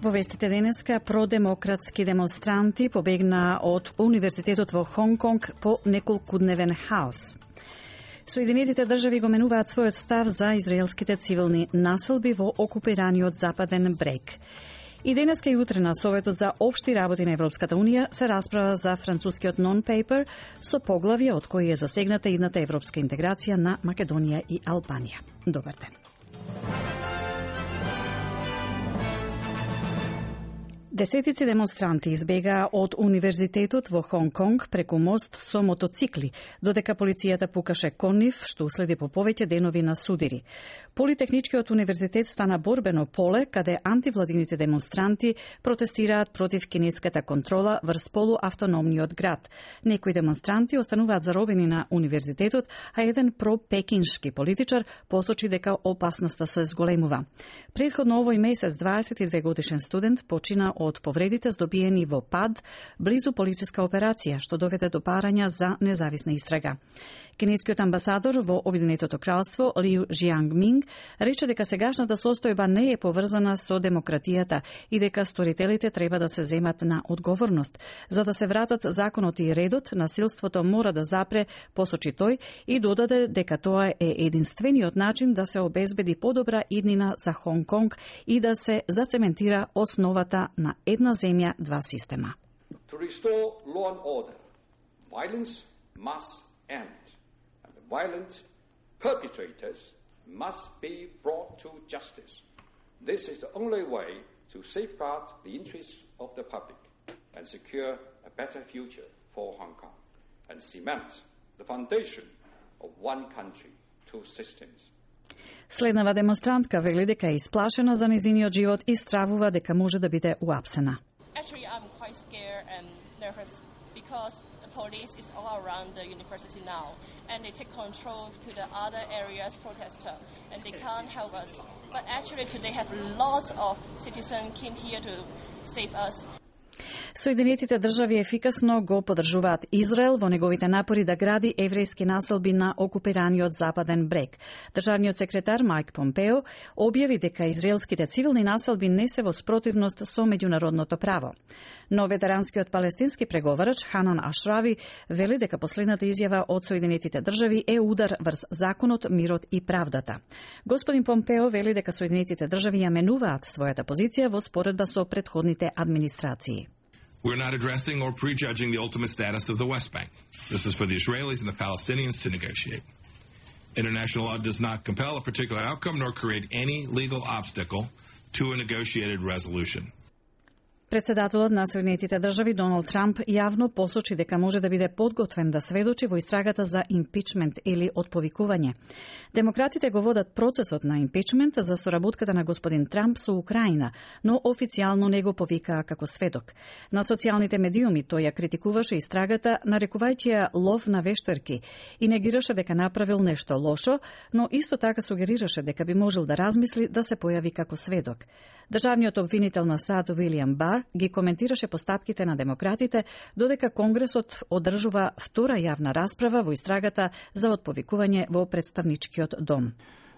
Во вестите денеска, продемократски демонстранти побегна од Универзитетот во Хонг Конг по неколкудневен хаос. Соединетите држави го менуваат својот став за израелските цивилни населби во окупираниот Западен брег. И денеска и утре на Советот за општи работи на Европската Унија се расправа за францускиот non-paper со поглавија од кои е засегната идната европска интеграција на Македонија и Албанија. Добар ден. Десетици демонстранти избегаа од Универзитетот во Хонг Конг преку мост со мотоцикли, додека полицијата пукаше кон нив, што уследи по повеќе денови на судири. Политехничкиот универзитет стана борбено поле, каде антивладините демонстранти протестираат против кинеската контрола врз полуавтономниот град. Некои демонстранти остануваат заробени на универзитетот, а еден пропекиншки политичар посочи дека опасноста се зголемува. Претходно овој месец 22 годишен студент почина од повредите здобиени во пад близу полициска операција, што доведе до барања за независна истрага. Кинескиот амбасадор во Обединетото кралство Лиу Жиангминг рече дека сегашната состојба не е поврзана со демократијата и дека сторителите треба да се земат на одговорност. За да се вратат законот и редот, насилството мора да запре, посочи тој, и додаде дека тоа е единствениот начин да се обезбеди подобра иднина за Хонг Конг и да се зацементира основата на една земја, два система. To restore law and order, violence must end. Violent perpetrators must be brought to justice. This is the only way to safeguard the interests of the public and secure a better future for Hong Kong and cement the foundation of one country, two systems. Следнава демонстрантка вели дека е исплашена за нејзиниот живот и стравува дека може да биде уапсена. Actually, I'm quite scared and nervous because the police is all around the university now, and they take control to the other areas protester, and they can't help us. But actually, today have lots of citizens came here to save us. Соединетите држави ефикасно го поддржуваат Израел во неговите напори да гради еврејски населби на окупираниот Западен брег. Државниот секретар Майк Помпео објави дека израелските цивилни населби не се во спротивност со меѓународното право. Но ветеранскиот палестински преговарач Ханан Ашрави вели дека последната изјава од Соединетите држави е удар врз законот, мирот и правдата. Господин Помпео вели дека Соединетите држави ја менуваат својата позиција во споредба со претходните администрации. We're not addressing or prejudging the ultimate status of the West Bank. This is for the Israelis and the Palestinians to negotiate. International law does not compel a particular outcome nor create any legal obstacle to a negotiated resolution. Председателот на Соединетите држави Доналд Трамп јавно посочи дека може да биде подготвен да сведочи во истрагата за импичмент или отповикување. Демократите го водат процесот на импичмент за соработката на господин Трамп со Украина, но официјално не го повикаа како сведок. На социјалните медиуми тој ја критикуваше истрагата, нарекувајќи ја лов на вештерки и негираше дека направил нешто лошо, но исто така сугерираше дека би можел да размисли да се појави како сведок. Државниот обвинител на САД Уилијам Бар ги коментираше постапките на демократите, додека Конгресот одржува втора јавна расправа во истрагата за отповикување во представничкиот дом.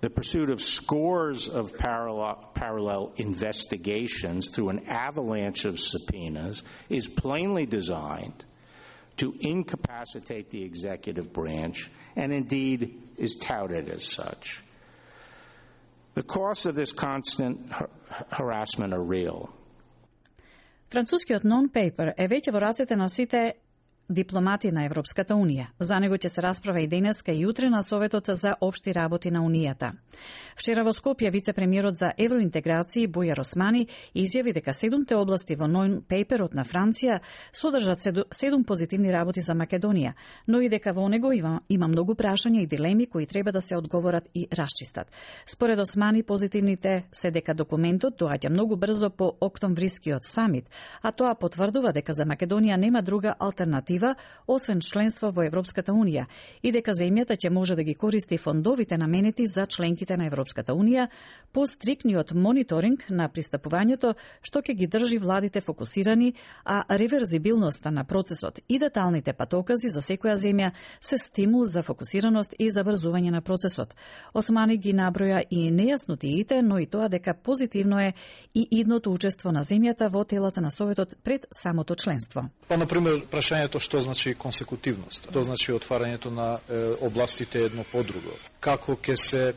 The pursuit of scores of parallel investigations through an avalanche of subpoenas is plainly designed to incapacitate the executive branch and indeed is touted as such. The costs of this constant harassment are real. Францускиот non-paper е веќе во рацете на сите дипломати на Европската Унија. За него ќе се расправа и денеска и утре на Советот за општи работи на Унијата. Вчера во Скопје вице-премиерот за евроинтеграција Бујар Османи изјави дека 7 области во non-paperот на Франција содржат 7 позитивни работи за Македонија, но и дека во него има многу прашања и дилеми кои треба да се одговорат и расчистат. Според Османи, позитивните се дека документот доаѓа многу брзо по октомврискиот самит, а тоа потврдува дека за Македонија нема друга алтернатива алтернатива освен членство во Европската Унија и дека земјата ќе може да ги користи фондовите наменети за членките на Европската Унија по стрикниот мониторинг на пристапувањето, што ќе ги држи владите фокусирани, а реверзибилноста на процесот и деталните патокази за секоја земја се стимул за фокусираност и забрзување на процесот. Османи ги наброја и нејаснотиите, но и тоа дека позитивно е и идното учество на земјата во телата на Советот пред самото членство. Па, например, прашањето што значи консекутивност, што значи отварањето на областите едно по друго, како ќе се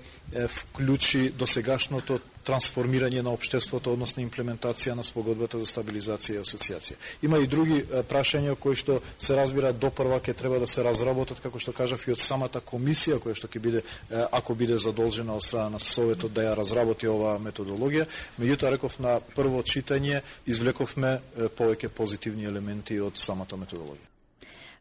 вклучи досегашното трансформирање на општеството, односно имплементација на спогодбата за стабилизација и асоциација. Има и други прашања кои што се разбира допрва ќе треба да се разработат, како што кажав, и од самата комисија која што ќе биде, ако биде задолжена од страна на Советот да ја разработи оваа методологија. Меѓутоа, реков, на прво читање извлековме повеќе позитивни елементи од самата методологија.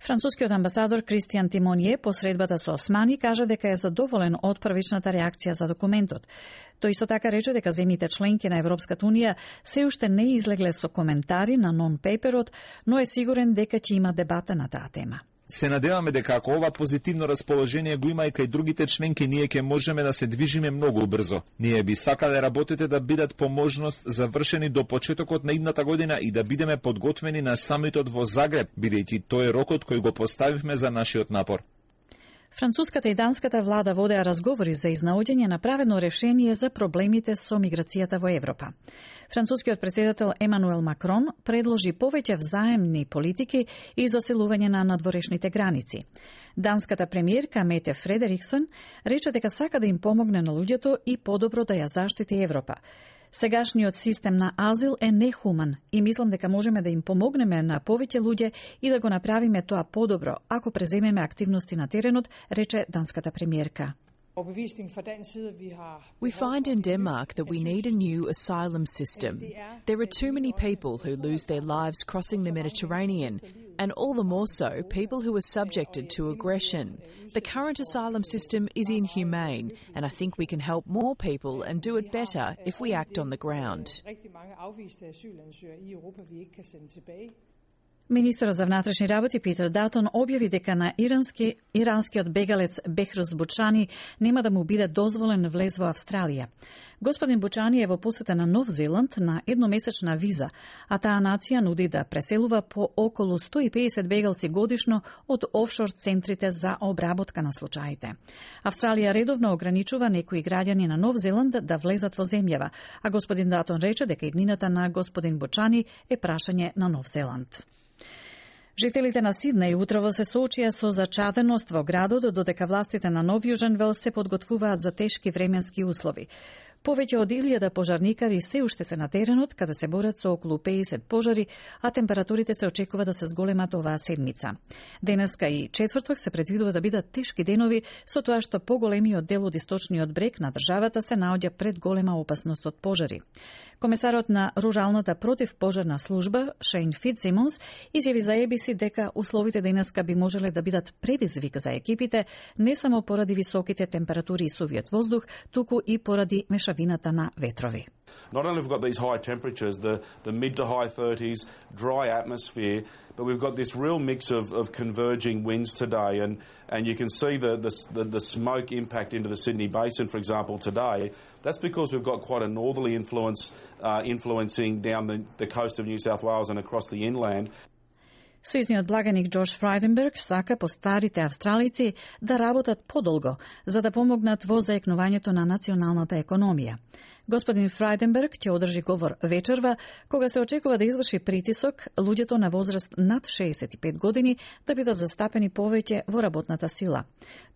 Францускиот амбасадор Кристијан Тимонје по средбата со Османи кажа дека е задоволен од првичната реакција за документот. Тој исто така рече дека земјите членки на Европската Унија се уште не излегле со коментари на нон-пейперот, но е сигурен дека ќе има дебата на таа тема. Се надеваме дека ако ова позитивно расположение го има и кај другите членки, ние ќе можеме да се движиме многу брзо. Ние би сакале работите да бидат по можност завршени до почетокот на идната година и да бидеме подготвени на самитот во Загреб, бидејќи тој е рокот кој го поставивме за нашиот напор. Француската и данската влада водеа разговори за изнаоѓање на праведно решение за проблемите со миграцијата во Европа. Францускиот председател Емануел Макрон предложи повеќе взаемни политики и заселување на надворешните граници. Данската премиерка Мете Фредериксон рече дека сака да им помогне на луѓето и подобро да ја заштити Европа. Сегашниот систем на азил е нехуман и мислам дека можеме да им помогнеме на повеќе луѓе и да го направиме тоа подобро ако преземеме активности на теренот, рече данската премиерка. We find in Denmark that we need a new asylum system. There are too many people who lose their lives crossing the Mediterranean, and all the more so people who are subjected to aggression. The current asylum system is inhumane, and I think we can help more people and do it better if we act on the ground. Министерот за внатрешни работи Питер Датон објави дека на иранскиот бегалец Бехрус Бучани нема да му биде дозволен влез во Австралија. Господин Бучани е во посета на Нов Зеланд на едномесечна виза, а таа нација нуди да преселува по околу 150 бегалци годишно од офшор центрите за обработка на случаите. Австралија редовно ограничува некои граѓани на Нов Зеланд да влезат во земјава, а господин Датон рече дека иднината на господин Бучани е прашање на Нов Зеланд. Жителите на Сиднеј утрово се соочија со зачаденост во градот, додека властите на Нов Јужен Велс се подготвуваат за тешки временски услови. Повеќе од 1000 пожарникари се уште се на теренот, каде се борат со околу 50 пожари, а температурите се очекува да се зголемат оваа седмица. Денеска и четврток се предвидува да бидат тешки денови, со тоа што поголемиот дел од источниот брег на државата се наоѓа пред голема опасност од пожари. Комесарот на Руралната противпожарна служба, Шейн Фитцсимонс, изјави за ABC дека условите денеска би можеле да бидат предизвик за екипите, не само поради високите температури и сувиот воздух, туку и поради мешавината на ветрови. Not only have we got these high temperatures, the mid to high 30s, dry atmosphere, but we've got this real mix of converging winds today, and you can see the smoke impact into the Sydney Basin, for example, today. That's because we've got quite a northerly influence influencing down the coast of New South Wales and across the inland. Сојузниот благаник Џорџ Фрајденберг сака постарите австралици да работат подолго, за да помогнат во заекнувањето на националната економија. Господин Фрајденберг ќе одржи говор вечерва, кога се очекува да изврши притисок луѓето на возраст над 65 години да бидат застапени повеќе во работната сила.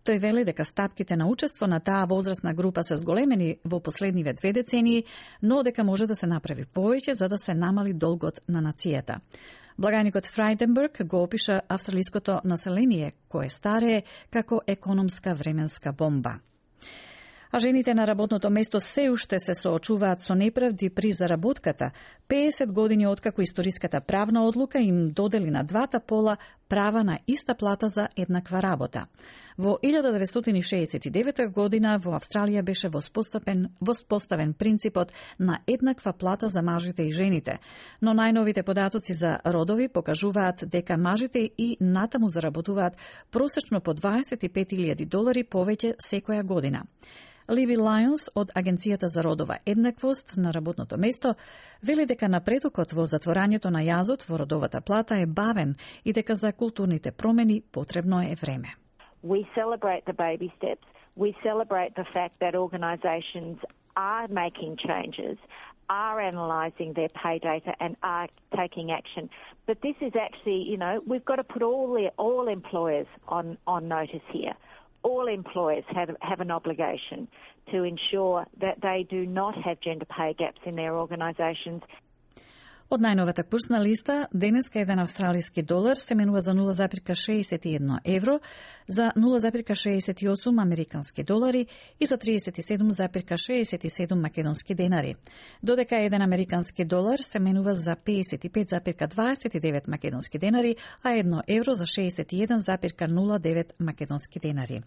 Тој вели дека стапките на учество на таа возрастна група се зголемени во последниве 2 децении, но дека може да се направи повеќе за да се намали долгот на нацијата. Благаникот Фрајденберг го опиша австралиското население, кое старее како економска временска бомба. А жените на работното место се уште се соочуваат со неправди при заработката, 50 години откако историската правна одлука им додели на двата пола права на иста плата за еднаква работа. Во 1969 година во Австралија беше воспоставен принципот на еднаква плата за мажите и жените, но најновите податоци за родови покажуваат дека мажите и натаму заработуваат просечно по $25,000 повеќе секоја година. Ливи Лајонс од Агенцијата за родова еднаквост на работното место вели дека напредокот во затворањето на јазот во родовата плата е бавен и дека за културните промени потребно е време. We celebrate the baby steps. We celebrate the fact that organisations are making changes, are analysing their pay data and are taking action. But this is actually, we've got to put all employers on notice here. All employers have an obligation to ensure that they do not have gender pay gaps in their organisations. Од најновата курсна листа, денеска еден австралиски долар се менува за 0,61 евро, за 0,68 американски долари и за 37,67 македонски денари. Додека еден американски долар се менува за 55,29 македонски денари, а 1 евро за 61,09 македонски денари.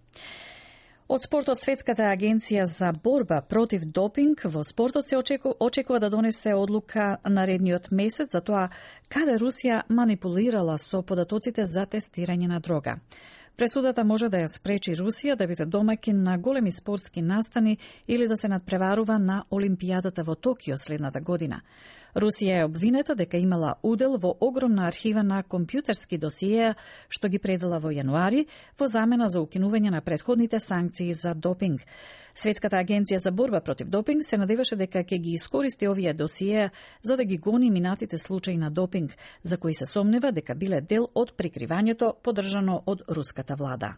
Од спортот, Светската агенција за борба против допинг во спортот се очекува да донесе одлука наредниот месец за тоа каде Русија манипулирала со податоците за тестирање на дрога. Пресудата може да ја спречи Русија да биде домаќин на големи спортски настани или да се надпреварува на Олимпијадата во Токио следната година. Русија е обвинета дека имала удел во огромна архива на компјутерски досиеа што ги предала во јануари во замена за укинување на претходните санкции за допинг. Светската агенција за борба против допинг се надеваше дека ќе ги искористи овие досиеа за да ги гони минатите случаи на допинг, за кои се сомнева дека биле дел од прикривањето поддржано од руската влада.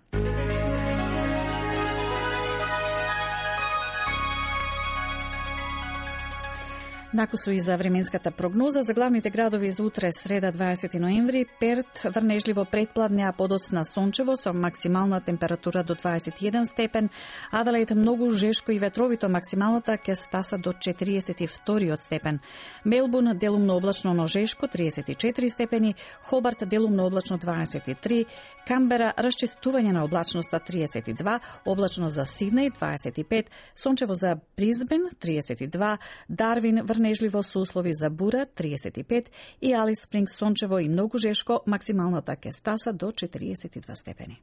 Накусу и за временската прогноза за главните градови за утре, среда 20 ноември, Перт врнежливо предпладне, а подоцна сончево со максимална температура до 21 степен, Аделаид многу жешко и ветровито, максималната ќе стаса до 42 степен. Мелбурн делумно облачно, но жешко 34 степени, Хобарт делумно облачно 23, Камбера расчистување на облачноста 32, облачно за Сиднеј 25, сончево за Бризбен 32, Дарвин врнежливо со услови за бура 35 и Алис Спрингс сончево и многу жешко, максималната ќе стаса до 42 степени.